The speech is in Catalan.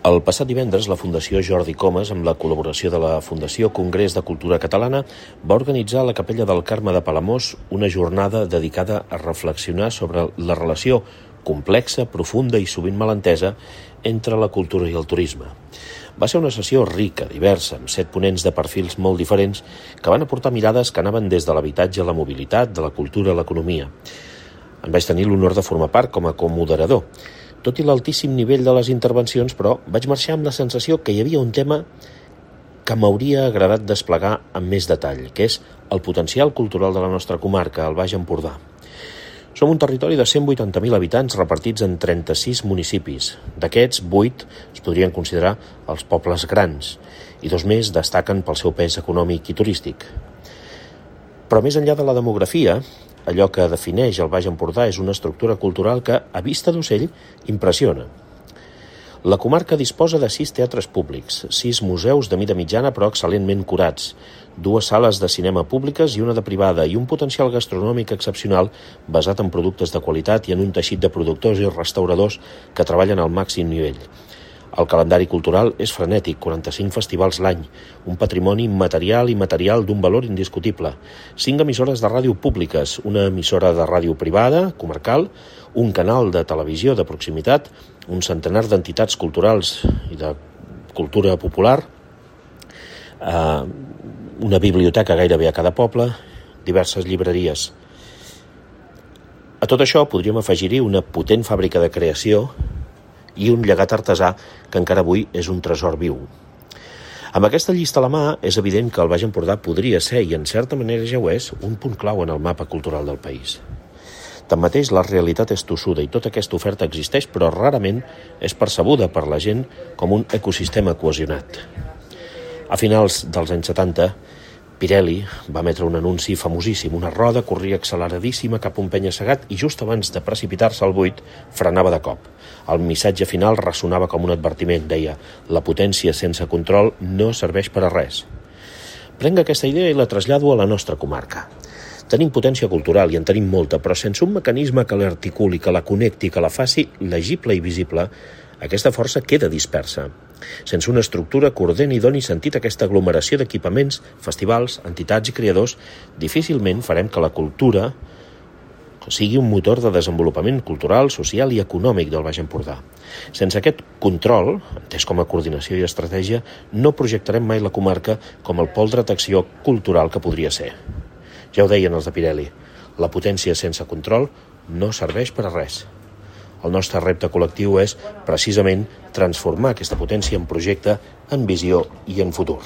El passat divendres, la Fundació Jordi Comas, amb la col·laboració de la Fundació Congrés de Cultura Catalana, va organitzar a la Capella del Carme de Palamós una jornada dedicada a reflexionar sobre la relació complexa, profunda i sovint malentesa entre la cultura i el turisme. Va ser una sessió rica, diversa, amb 7 ponents de perfils molt diferents que van aportar mirades que anaven des de l'habitatge a la mobilitat, de la cultura a l'economia. En vaig tenir l'honor de formar part com a comoderador. Tot i l'altíssim nivell de les intervencions, però, vaig marxar amb la sensació que hi havia un tema que m'hauria agradat desplegar amb més detall, que és el potencial cultural de la nostra comarca, el Baix Empordà. Som un territori de 180.000 habitants repartits en 36 municipis. D'aquests, 8 es podrien considerar els pobles grans i 2 més destaquen pel seu pes econòmic i turístic. Però més enllà de la demografia, allò que defineix el Baix Empordà és una estructura cultural que, a vista d'ocell, impressiona. La comarca disposa de 6 teatres públics, 6 museus de mida mitjana però excel·lentment curats, 2 sales de cinema públiques i una de privada i un potencial gastronòmic excepcional basat en productes de qualitat i en un teixit de productors i restauradors que treballen al màxim nivell. El calendari cultural és frenètic, 45 festivals l'any, un patrimoni material i material d'un valor indiscutible, 5 emissores de ràdio públiques, una emissora de ràdio privada, comarcal, un canal de televisió de proximitat, un centenar d'entitats culturals i de cultura popular, una biblioteca gairebé a cada poble, diverses llibreries. A tot això podríem afegir-hi una potent fàbrica de creació i un llegat artesà que encara avui és un tresor viu. Amb aquesta llista a la mà, és evident que el Baix Empordà podria ser, i en certa manera ja ho és, un punt clau en el mapa cultural del país. Tanmateix, la realitat és tossuda i tota aquesta oferta existeix, però rarament és percebuda per la gent com un ecosistema cohesionat. A finals dels anys 70, Pirelli va emetre un anunci famosíssim. Una roda corria acceleradíssima cap a un penya-segat i just abans de precipitar-se al buit frenava de cop. El missatge final ressonava com un advertiment. Deia: la potència sense control no serveix per a res. Prenc aquesta idea i la trasllado a la nostra comarca. Tenim potència cultural i en tenim molta, però sense un mecanisme que l'articuli, que la connecti, que la faci legible i visible, aquesta força queda dispersa. Sense una estructura que ordeni i doni sentit a aquesta aglomeració d'equipaments, festivals, entitats i creadors, difícilment farem que la cultura sigui un motor de desenvolupament cultural, social i econòmic del Baix Empordà. Sense aquest control, entès com a coordinació i estratègia, no projectarem mai la comarca com el pol d'atracció cultural que podria ser. Ja ho deien els de Pirelli, la potència sense control no serveix per a res. El nostre repte col·lectiu és, precisament, transformar aquesta potència en projecte, en visió i en futur.